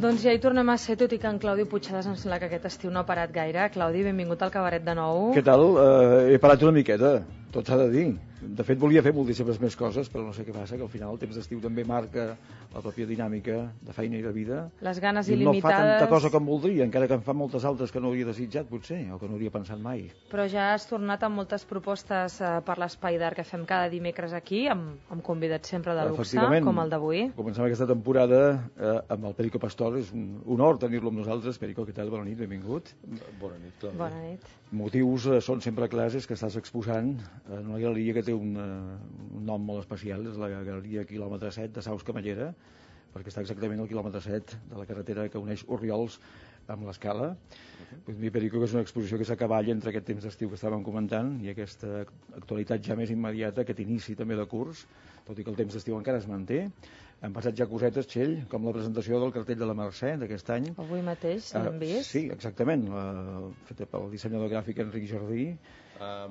Doncs ja hi tornem a ser, tot i que en Claudi Puigcerdas em sembla que aquest estiu no ha parat gaire. Claudi, benvingut al Cabaret de nou. Què tal? He parat una miqueta, tot s'ha de dir. De fet, volia fer moltíssimes més coses, però no sé què passa, que al final el temps d'estiu també marca la pròpia dinàmica de feina i de vida. Les ganes il·limitades. No fa tanta cosa com voldria, encara que en fa moltes altres que no hauria desitjat, potser, o que no hauria pensat mai. Però ja has tornat amb moltes propostes per l'Espai d'Art que fem cada dimecres aquí, amb convidats sempre de luxe, com el d'avui. Comencem aquesta temporada amb el Perico Pastor. És un honor tenir-lo amb nosaltres. Perico, què tal? Bona nit, benvingut. Bona nit, Claudi. Bona nit. Motius són sempre clars, és que estàs exposant en una galeria que té un nom molt especial, és la galeria quilòmetre 7 de Saus Camallera, perquè està exactament al quilòmetre 7 de la carretera que uneix Orriols amb l'Escala. Pues mi Perico, que és una exposició que s'acaballa entre aquest temps d'estiu que estàvem comentant i aquesta actualitat ja més immediata, aquest inici també de curs, tot i que el temps d'estiu encara es manté. Han passat ja cosetes, Txell, com la presentació del cartell de la Mercè d'aquest any. Avui mateix l'hem vist. Sí, exactament, feta pel dissenyador gràfic Enric Jardí.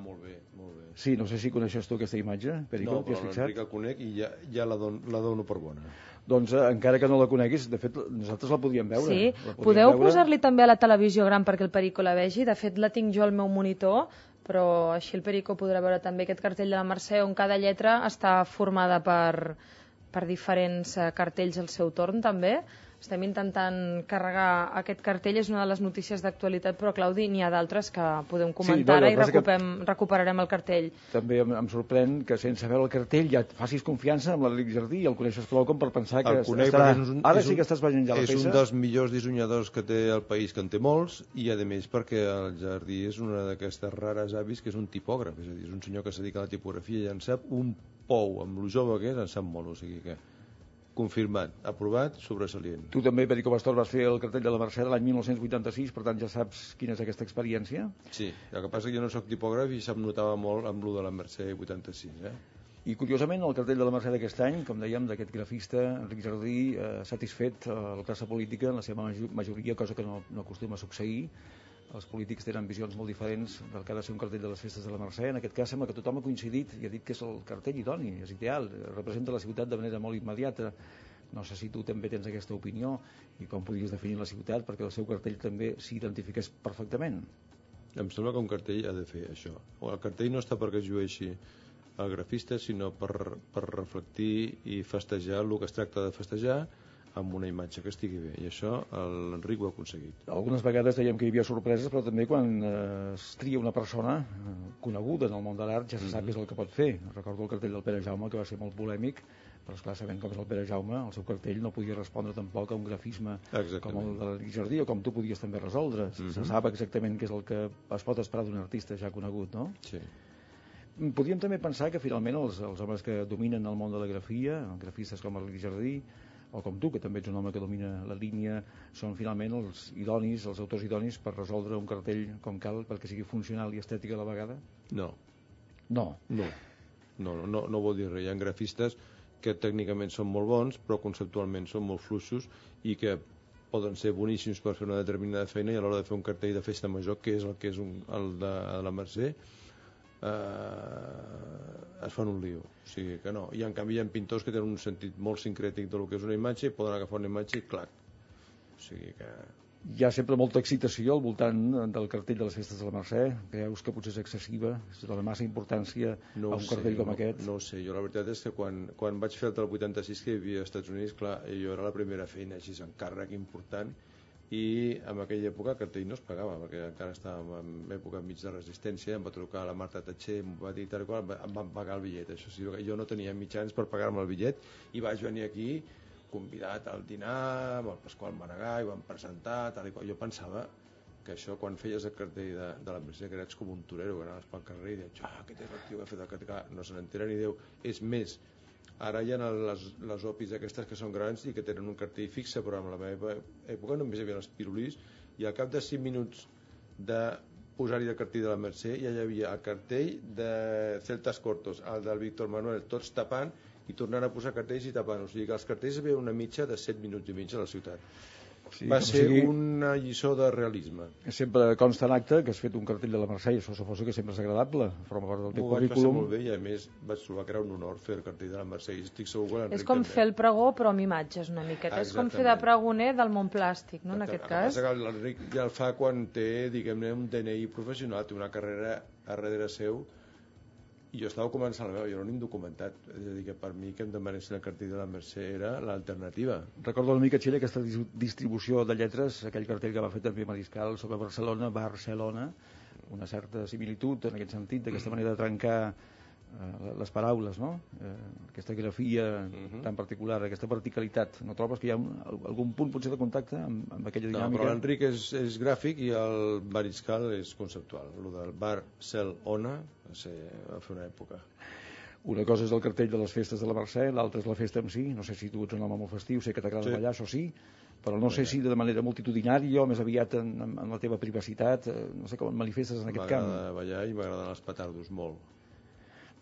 Molt bé, molt bé. Sí, no sé si coneixes tu aquesta imatge, Perico, no, però l'Enric el conec i ja la dono per bona. Doncs encara que no la coneguis, de fet nosaltres la podíem veure. Sí, podeu posar-li també a la televisió gran perquè el Perico la vegi. De fet la tinc jo al meu monitor, però així el Perico podrà veure també aquest cartell de la Mercè on cada lletra està formada per diferents cartells al seu torn també. Estem intentant carregar aquest cartell, és una de les notícies d'actualitat, però Claudi, n'hi ha d'altres que podem comentar i recuperarem el cartell. També em sorprèn que sense veure el cartell ja facis confiança amb l'Enric Jardí i el coneixes prou com per pensar que estarà... Ara sí que estàs veient ja la peça. És un dels millors dissenyadors que té el país, que en té molts, i a més perquè el Jardí és una d'aquestes rares avis que és un tipògraf, és a dir, és un senyor que es dedica a la tipografia i en sap un pou, amb lo jove que és, en sap molt, o sigui que confirmat, aprovat, sobresalient. Tu també, Perico Pastor, vas fer el cartell de la Mercè l'any 1986, per tant ja saps quina és aquesta experiència? Sí, el que passa que jo no soc tipògraf i se'm notava molt amb lo de la Mercè 86, I curiosament el cartell de la Mercè d'aquest any, com dèiem, d'aquest grafista, Enric Jardí, satisfet la classe política en la seva majoria, cosa que no acostuma a succeir. Els polítics tenen visions molt diferents del que ha de ser un cartell de les festes de la Mercè. En aquest cas sembla que tothom ha coincidit i ha dit que és el cartell idoni, és ideal, representa la ciutat de manera molt immediata. No sé si tu també tens aquesta opinió i com podries definir la ciutat perquè el seu cartell també s'identifiqués perfectament. Em sembla que un cartell ha de fer això. El cartell no està perquè es llueixi el grafista, sinó per reflectir i festejar el que es tracta de festejar amb una imatge que estigui bé, i això l'Enric ho ha aconseguit. Algunes vegades dèiem que hi havia sorpreses, però també quan es tria una persona coneguda en el món de l'art ja se sap què és el que pot fer. Recordo el cartell del Pere Jaume, que va ser molt polèmic, però esclar, sabent com és el Pere Jaume, el seu cartell no podia respondre tampoc a un grafisme com el de l'Enric Jardí, o com tu podies també resoldre. Se sap exactament què és el que es pot esperar d'un artista ja conegut, no? Sí. Podríem també pensar que finalment els homes que dominen el món de la grafia, grafistes com l'Enric Jardí, o com tu, que també ets un home que domina la línia, són finalment els idonis, els autors idonis per resoldre un cartell com cal perquè sigui funcional i estètic a la vegada? No. No vol dir res. Hi ha grafistes que tècnicament són molt bons, però conceptualment són molt fluixos i que poden ser boníssims per fer una determinada feina i a l'hora de fer un cartell de festa major, que és el de la Mercè, es fan un lío, o sigui que no. I en canvi hi ha pintors que tenen un sentit molt sincrètic del que és una imatge i poden agafar una imatge i clac, o sigui que... Hi ha sempre molta excitació al voltant del cartell de les festes de la Mercè. Creus que potser és excessiva, es dona massa importància a un cartell com aquest? No ho sé, jo la veritat és que quan vaig fer el del 86 que hi havia als Estats Units, clar, jo era la primera feina així, encàrrec important, i en aquella època el cartell no es pagava perquè encara estàvem en època mig de resistència. Em va trucar la Marta Tatxer, em va dir tal i qual, em van pagar el bitllet. Això sí, jo no tenia mitjans per pagar-me el bitllet i vaig venir aquí convidat al dinar amb el Pasqual Maragall, ho vam presentar tal i qual. Jo pensava que això, quan feies el cartell de la Mercè, que eres com un torero, que anaves pel carrer i deies, aquest és el tio que ha fet el cartell, no se n'entera ni Déu. És més, ara hi ha les opis aquestes que són grans i que tenen un cartell fixe, però en la meva època només hi havia els pirulís i al cap de 5 minuts de posar-hi el cartell de la Mercè ja hi havia el cartell de Celtas Cortos, el del Víctor Manuel, tots tapant, i tornant a posar cartells i tapant. O sigui que els cartells es veien una mitja de 7 minuts i mig a la ciutat. Sí, va ser una lliçó de realisme. Sempre consta en acte que has fet un cartell de la Mercè, i això suposo que sempre és agradable, forma part del teu currículum. M'ho vaig passar molt bé i a més vaig trobar que era un honor fer el cartell de la Mercè i estic segur que l'Enric és com també. fer el pregó però amb imatges una miqueta, és com fer de pregoner del món plàstic, no, en aquest cas. L'Enric ja el fa quan té, diguem-ne, un DNI professional, té una carrera a darrere seu, i jo estava començant la meva, jo no n'he documentat, és a dir, que per mi que em demanessin el cartell de la Mercè era l'alternativa. Recordo una mica, Txell, aquesta distribució de lletres, aquell cartell que va fer també Mariscal sobre Barcelona, una certa similitud en aquest sentit, d'aquesta manera de trencar les paraules, no? Aquesta grafia tan particular, aquesta verticalitat. No trobes que hi ha algun punt potser de contacte amb aquella dinàmica? No, però l'Enric és gràfic i el Mariscal és conceptual. El del Barcelona va fer una època. Una cosa és el cartell de les festes de la Mercè, l'altra és la festa en si. No sé si tu ets un home molt festiu, sé que t'agrada ballar, això sí, però no sé si de manera multitudinària o més aviat en la teva privacitat, no sé com et manifestes en aquest camp. M'agrada ballar i m'agraden els petardos molt.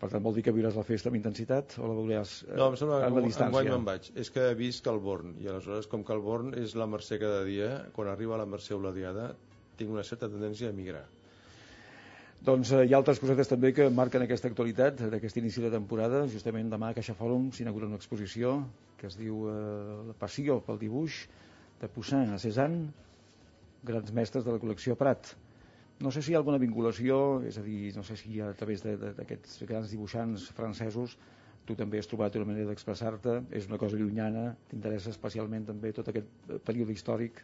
Per tant, vol dir que viuràs la festa amb intensitat o la veuràs no, em sembla a la distància? Enguany me'n vaig. És que he vist Calborn, i aleshores, com que Calborn és la Mercè cada dia, quan arriba a la Mercè o la Diada, tinc una certa tendència a migrar. Doncs hi ha altres cosetes també que marquen aquesta actualitat d'aquest inici de temporada. Justament demà a Caixa Fòrum s'inaugura una exposició que es diu La passió pel dibuix, de Poussin a Cézanne, grans mestres de la col·lecció Prat. No sé si hi ha alguna vinculació, és a dir, no sé si a través d'aquests grans dibuixants francesos tu també has trobat una manera d'expressar-te, és una cosa llunyana, t'interessa especialment també tot aquest període històric?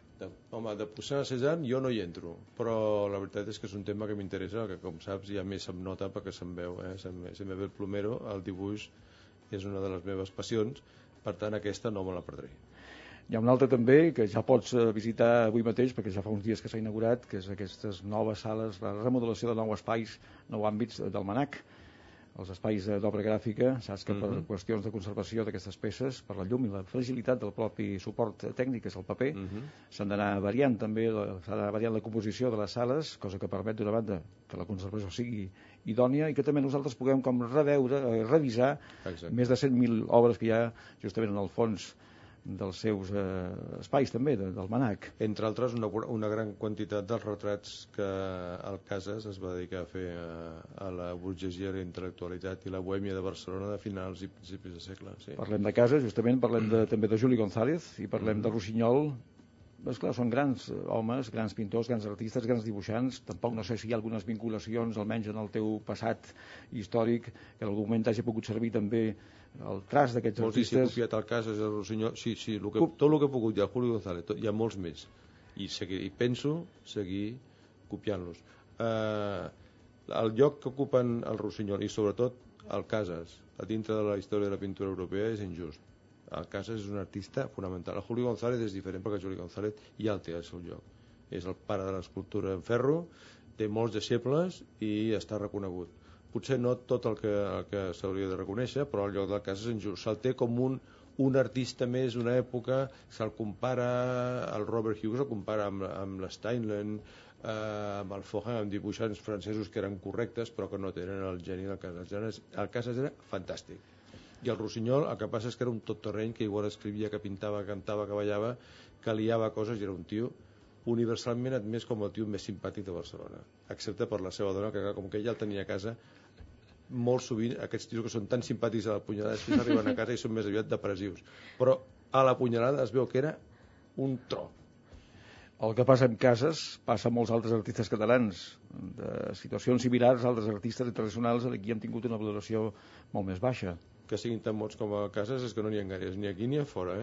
Home, de Poussin a Cézanne jo no hi entro, però la veritat és que és un tema que m'interessa, que com saps ja més se'm nota perquè se'm veu, se me ve el plomero, el dibuix és una de les meves passions, per tant aquesta no me la perdré. Hi ha un altre també que ja pots visitar avui mateix, perquè ja fa uns dies que s'ha inaugurat, que és aquestes noves sales, la remodelació de nous espais, nous àmbits del MNAC, els espais d'obra gràfica. Saps que per qüestions de conservació d'aquestes peces, per la llum i la fragilitat del propi suport tècnic, que és el paper, s'han d'anar variant també, s'ha d'anar variant la composició de les sales, cosa que permet d'una banda que la conservació sigui idònia i que també nosaltres puguem com revisar més de 100.000 obres que hi ha justament en el fons dels seus espais també, del MNAC. Entre altres, una gran quantitat dels retrats que el Casas es va dedicar a fer a la burgesia, la intel·lectualitat i la bohèmia de Barcelona de finals i principis de segle. Sí. Parlem de Casas, justament, parlem també de Juli González i parlem de Rossinyol. Esclar, són grans homes, grans pintors, grans artistes, grans dibuixants. Tampoc no sé si hi ha algunes vinculacions, almenys en el teu passat històric, que en algun moment t'hagi pogut servir també el traç d'aquests artistes. Molts he copiat el Casas, el Rossinyol, sí, tot el que he pogut, i el Julio González, hi ha molts més. I penso seguir copiant-los. El lloc que ocupen el Rossinyol i sobretot el Casas a dintre de la història de la pintura europea és injust. El Casas és un artista fonamental. El Julio González és diferent perquè el Julio González ja el té al seu lloc. És el pare de l'escultura en ferro, té molts deixebles i està reconegut. Potser no tot el que s'hauria de reconèixer, però el lloc del Casas és injust. Se'l té com un artista més d'una època, se'l compara, el Robert Hughes el compara amb l'Steinlen, amb el Fohan, amb dibuixants francesos que eren correctes però que no tenen el geni del Casas. El Casas era fantàstic. I el Rossinyol el que passa és que era un tot-terreny que igual escrivia, que pintava, cantava, que ballava, que liava coses i era un tio universalment admès com el tio més simpàtic de Barcelona, excepte per la seva dona, que com que ella el tenia a casa, molt sovint aquests tios que són tan simpàtics a la punyalada després arriben a casa i són més aviat depressius, però a la punyalada es veu que era un tro. El que passa en Casas passa a molts altres artistes catalans de situacions similars. Altres artistes internacionals aquí han tingut una valoració molt més baixa. Que siguin tan bons com a Casas és que no n'hi ha gaires, ni aquí ni a fora,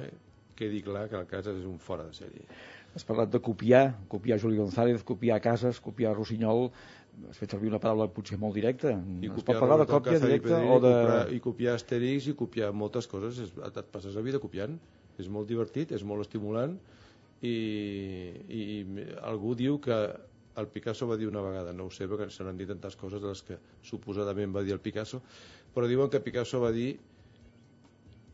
quedi clar que el Casas és un fora de sèrie. Has parlat de copiar Juli González, copiar Casas, copiar Rossinyol. Has fet servir una paraula potser molt directa. Es pot parlar de còpia directa o de... I copiar Asterix i copiar moltes coses. Et passes la vida copiant. És molt divertit, és molt estimulant i algú diu que el Picasso va dir una vegada, no ho sé perquè se n'han dit tantes coses de les que suposadament va dir el Picasso, però diuen que Picasso va dir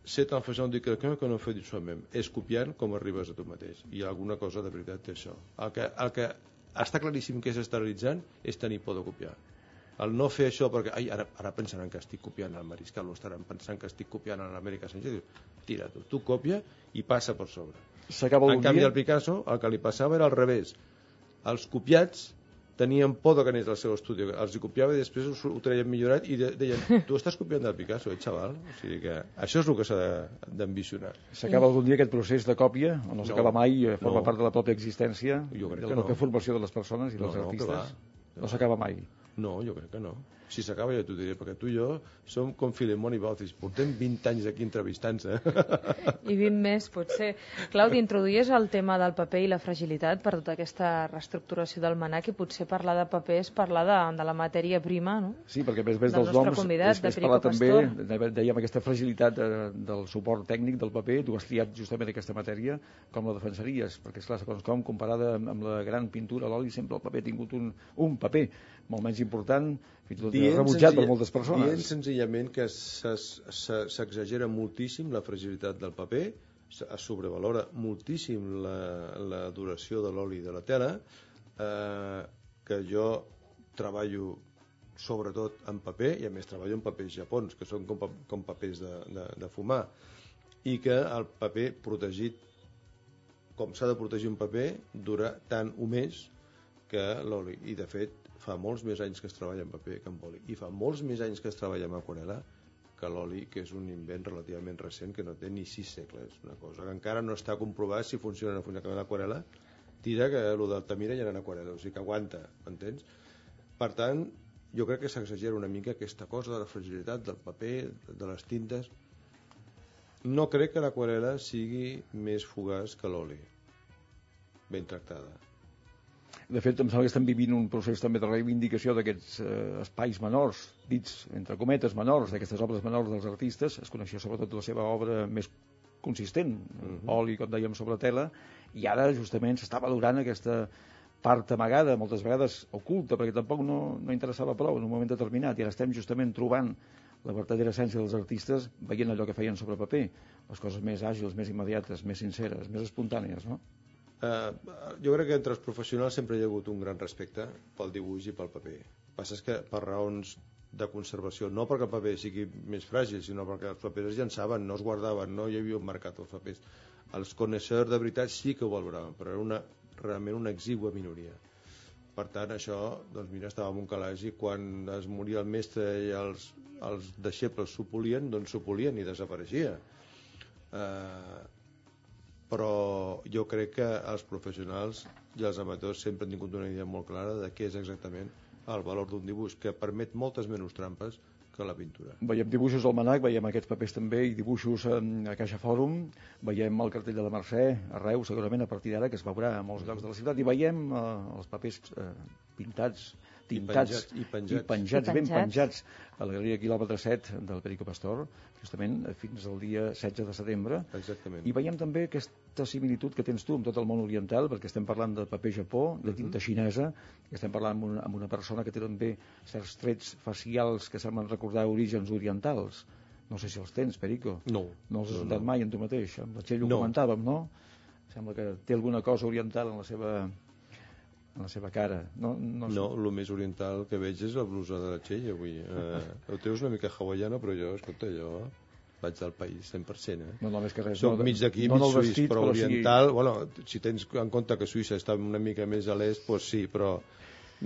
c'est en faisant de quelqu'un que no fait de soi-même, és copiant com arribes a tu mateix, i alguna cosa de veritat té això. El que està claríssim que és esterilitzant és tenir por de copiar. El no fer això perquè ara pensaran que estic copiant el Mariscal o estaran pensant que estic copiant l'Amèrica Sánchez, tira tu copia i passa per sobre. En canvi el Picasso el que li passava era al revés, els copiats tenien por de que anés al seu estudi, els hi copiava i després ho traien millorat i deien, tu estàs copiant del Picasso, xaval? O sigui que això és el que s'ha d'ambicionar. S'acaba algun dia aquest procés de còpia o no s'acaba mai, forma part de la pròpia existència, de la pròpia formació de les persones i dels artistes? No s'acaba mai? No, jo crec que no. Si s'acaba ja t'ho diré, perquè tu i jo som com Filemón i Baucis, portem 20 anys aquí entrevistant-se. I 20 més, potser. Claudi, introduïes el tema del paper i la fragilitat per tota aquesta reestructuració del MNAC i potser parlar de paper és parlar de la matèria prima, no? Sí, perquè més dels noms és parlar també, dèiem, aquesta fragilitat del suport tècnic del paper. Tu has triat justament aquesta matèria, com la defensaries? Perquè, esclar, segons com, comparada amb la gran pintura, l'oli, sempre el paper ha tingut un paper molt menys important, fins i tot rebutjat per moltes persones. Dient senzillament que s'exagera moltíssim la fragilitat del paper, es sobrevalora moltíssim la duració de l'oli de la tela, que jo treballo sobretot en paper, i a més treballo en papers japons, que són com papers de fumar, i que el paper protegit, com s'ha de protegir un paper, dura tant o més que l'oli. I de fet, fa molts més anys que es treballa en paper que en oli, i fa molts més anys que es treballa en aquarel·la que l'oli, que és un invent relativament recent que no té ni 6 segles, una cosa que encara no està comprovat si funciona o no funciona. L'aquarel·la tira que el d'Altamira ja era en aquarel·la, o sigui que aguanta, m'entens? Per tant, jo crec que s'exagera una mica aquesta cosa de la fragilitat del paper, de les tintes. No crec que l'aquarel·la sigui més fugaç que l'oli, ben tractada. De fet, em sembla que estem vivint un procés també de reivindicació d'aquests espais menors, dits entre cometes menors, d'aquestes obres menors dels artistes. Es coneixia sobretot la seva obra més consistent, oli, com dèiem, sobre tela, i ara justament s'està valorant aquesta part amagada, moltes vegades oculta, perquè tampoc no interessava prou en un moment determinat, i ara estem justament trobant la vertadera essència dels artistes veient allò que feien sobre paper, les coses més àgils, més immediates, més sinceres, més espontànies, no? Jo crec que entre els professionals sempre hi ha hagut un gran respecte pel dibuix i pel paper. El que passa és que per raons de conservació, no perquè el paper sigui més fràgil, sinó perquè els papers es llançaven, no es guardaven, no hi havia un mercat als papers. Els coneixedors de veritat sí que ho valoraven, però era realment una exigua minoria. Per tant, això, doncs mira, estava en un calaix i quan es moria el mestre i els deixebles s'ho polien, doncs s'ho polien i desapareixia. Però jo crec que els professionals i els amateurs sempre han tingut una idea molt clara de què és exactament el valor d'un dibuix, que permet moltes menys trampes que la pintura. Veiem dibuixos al MNAC, veiem aquests papers també, i dibuixos a Caixa Fòrum, veiem el cartell de la Mercè, a Reus, segurament a partir d'ara, que es veurà a molts llocs de la ciutat, i veiem els papers pintats, tintats i penjats, ben penjats a la Galeria Quilòmetre 7 del Perico Pastor, justament fins al dia 16 de setembre. Exactament. I veiem també aquesta similitud que tens tu amb tot el món oriental, perquè estem parlant de paper Japó, de tinta xinesa, que estem parlant amb una persona que té també certs trets facials que semblen recordar orígens orientals. No sé si els tens, Perico. No. No els has notat mai en tu mateix. Amb la Txell ho comentàvem, no? Sembla que té alguna cosa oriental en la seva cara. No, el més oriental que veig és la blusa de la Txell avui. El teu és una mica hawaiana, però jo vaig del país 100%. No, més que res. Soc mig d'aquí, mig suís, però oriental. Sí. Bueno, si tens en compte que Suïssa està una mica més a l'est, doncs sí, però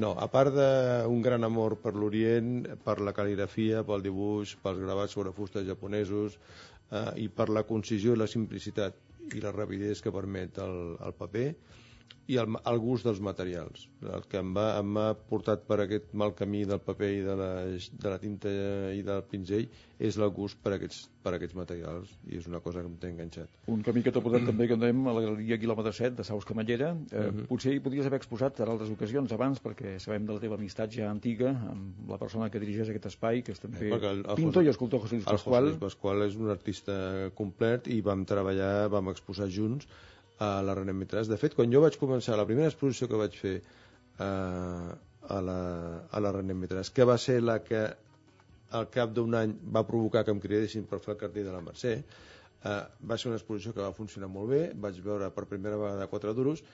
no, a part d'un gran amor per l'Orient, per la cal·ligrafia, pel dibuix, pels gravats sobre fustes japonesos i per la concisió i la simplicitat i la rapidesa que permet el paper, i el gust dels materials. El que em ha portat per aquest mal camí del paper i de la tinta i del pinzell és el gust per aquests materials, i és una cosa que em té enganxat. Un camí que t'ha portat també, que anem a la Galeria Quilòmetre 7 de Saus Camallera. Potser hi podries haver exposat en altres ocasions abans, perquè sabem de la teva amistat ja antiga amb la persona que dirigeix aquest espai, que és també pintor i escultor José Luis Pascual. El José Luis Pascual és un artista complet i vam exposar junts a la René Métrage. De fet, quan jo vaig començar la primera exposició que vaig fer a la René Métrage, que va ser la que al cap d'un any va provocar que em cridessin per fer el cartell de la Mercè, Va ser una exposició que va funcionar molt bé, vaig veure per primera vegada 4 duros,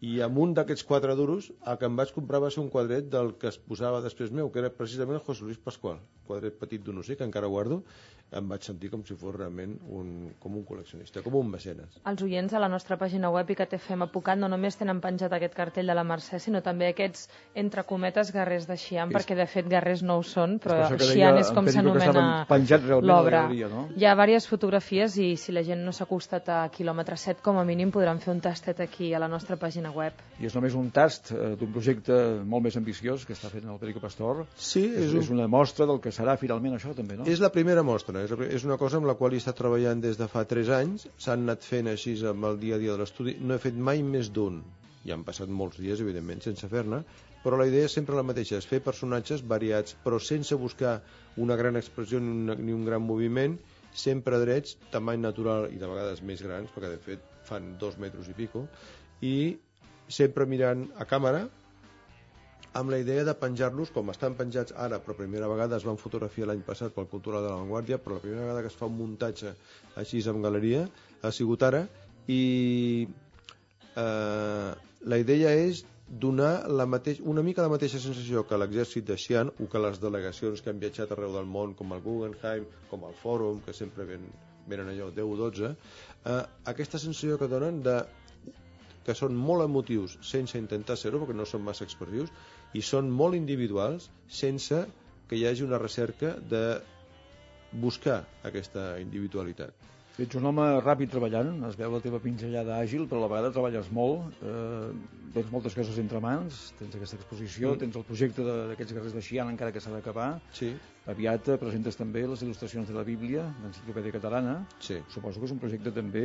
i amb un d'aquests 4 duros el que em vaig comprar va ser un quadret del que es posava després meu, que era precisament el José Luis Pascual, quadret petit d'un ocell que encara guardo. Em vaig sentir com si fos realment com un col·leccionista, com un mecenes. Els oients a la nostra pàgina web ICATFM Pucat no només tenen penjat aquest cartell de la Mercè, sinó també aquests, entre cometes, guerrers de Xi'an, perquè de fet guerrers no ho són, però Xi'an és com s'anomena l'obra. No? Hi ha diverses fotografies i si la gent no s'ha acostat a quilòmetre 7, com a mínim podran fer un tastet aquí a la nostra pàgina web. I és només un tast d'un projecte molt més ambiciós que està fent el Perico Pastor. Sí, és una mostra del que serà finalment això també, no? És la primera mostra. És una cosa amb la qual he estat treballant des de fa 3 anys. S'han anat fent així amb el dia a dia de l'estudi. No he fet mai més d'un. Ja han passat molts dies, evidentment, sense fer-ne, però la idea és sempre la mateixa, és fer personatges variats, però sense buscar una gran expressió ni un gran moviment, sempre drets, tamany natural i de vegades més grans, perquè de fet fan 2 metres i pico, i sempre mirant a càmera, amb la idea de penjar-los com estan penjats ara, però primera vegada es van fotografiar l'any passat pel Cultural de la Vanguardia, però la primera vegada que es fa un muntatge així en galeria ha sigut ara, i la idea és donar una mica la mateixa sensació que l'exèrcit de Xi'an o que les delegacions que han viatjat arreu del món, com el Guggenheim, com el Fòrum, que sempre venen allò 10 o 12, aquesta sensació que donen que són molt emotius sense intentar ser-ho, perquè no són massa expressius, i són molt individuals sense que hi hagi una recerca de buscar aquesta individualitat. Ets un home ràpid treballant, es veu la teva pinzellada àgil, però a la vegada treballes molt, tens moltes coses entre mans, tens aquesta exposició, tens el projecte d'aquests guerrers de Xi'an encara que s'ha d'acabar, sí. Aviat presentes també les il·lustracions de la Bíblia, l'Enciclopèdia Catalana, sí. Suposo que és un projecte també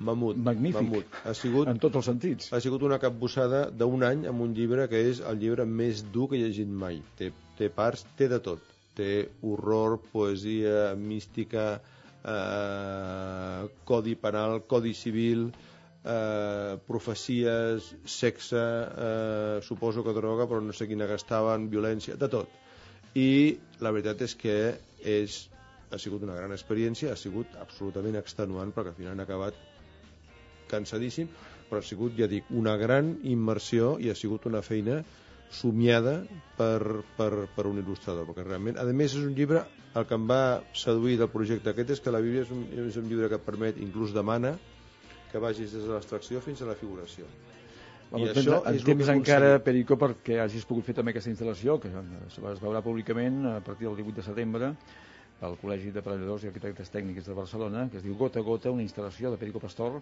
magnífic, en tots els sentits. Ha sigut una capbussada d'un any amb un llibre que és el llibre més dur que he llegit mai, té parts, té de tot, té horror, poesia, mística, codi penal, codi civil, profecies, sexe, suposo que droga, però no sé quina gastaven, violència, de tot. I la veritat és que ha sigut una gran experiència, ha sigut absolutament extenuant, perquè al final han acabat cansadíssim, però ha sigut, ja dic, una gran immersió i ha sigut una feina somiada per un il·lustrador, perquè realment, a més és un llibre, el que em va seduir del projecte aquest és que la Bíblia és un llibre que permet, inclús demana, que vagis des de l'abstracció fins a la figuració. I això és temps encara, Perico, perquè hagis pogut fer també aquesta instal·lació, que es veurà públicament a partir del 18 de setembre al Col·legi de Parelladors i Arquitectes Tècnics de Barcelona, que es diu Gota a Gota, una instal·lació de Perico Pastor.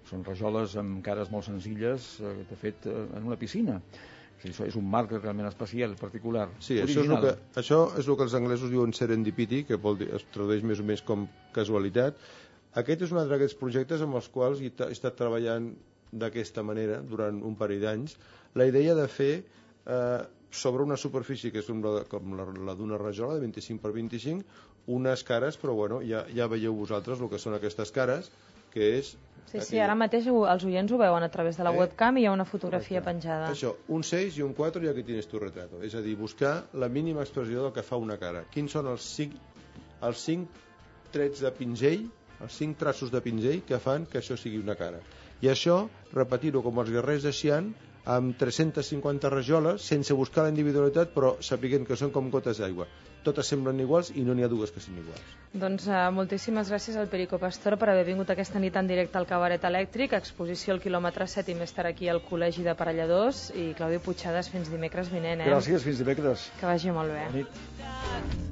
Són rajoles amb cares molt senzilles, de fet, en una piscina. Això és un marc realment especial, particular, sí, original. Això és el que els anglesos diuen serendipity, que es tradueix més o menys com casualitat. Aquest és un altre d'aquests projectes amb els quals he estat treballant d'aquesta manera durant un parell d'anys. La idea de fer sobre una superfície que és com la d'una rajola de 25 per 25, unes cares, però bueno, ja veieu vosaltres el que són aquestes cares, que és... Sí, ara mateix els oients ho veuen a través de la webcam i hi ha una fotografia penjada. Això, un 6 i un 4 i aquí tienes tu retrato. És a dir, buscar la mínima expressió del que fa una cara. Quins són els 5 trets de pinzell, els 5 traços de pinzell que fan que això sigui una cara. I això, repetir-ho com els guerrers de Xi'an, amb 350 rajoles, sense buscar la individualitat, però sapiguent que són com gotes d'aigua. Totes semblen iguals i no n'hi ha dues que siguin iguals. Doncs moltíssimes gràcies al Perico Pastor per haver vingut aquesta nit en directe al Cabaret Elèctric, exposició al quilòmetre 7 i més tard aquí al Col·legi de Parelladors, i Claudi Puigcercas fins dimecres vinent. Gràcies, fins dimecres. Que vagi molt bé. Bona nit.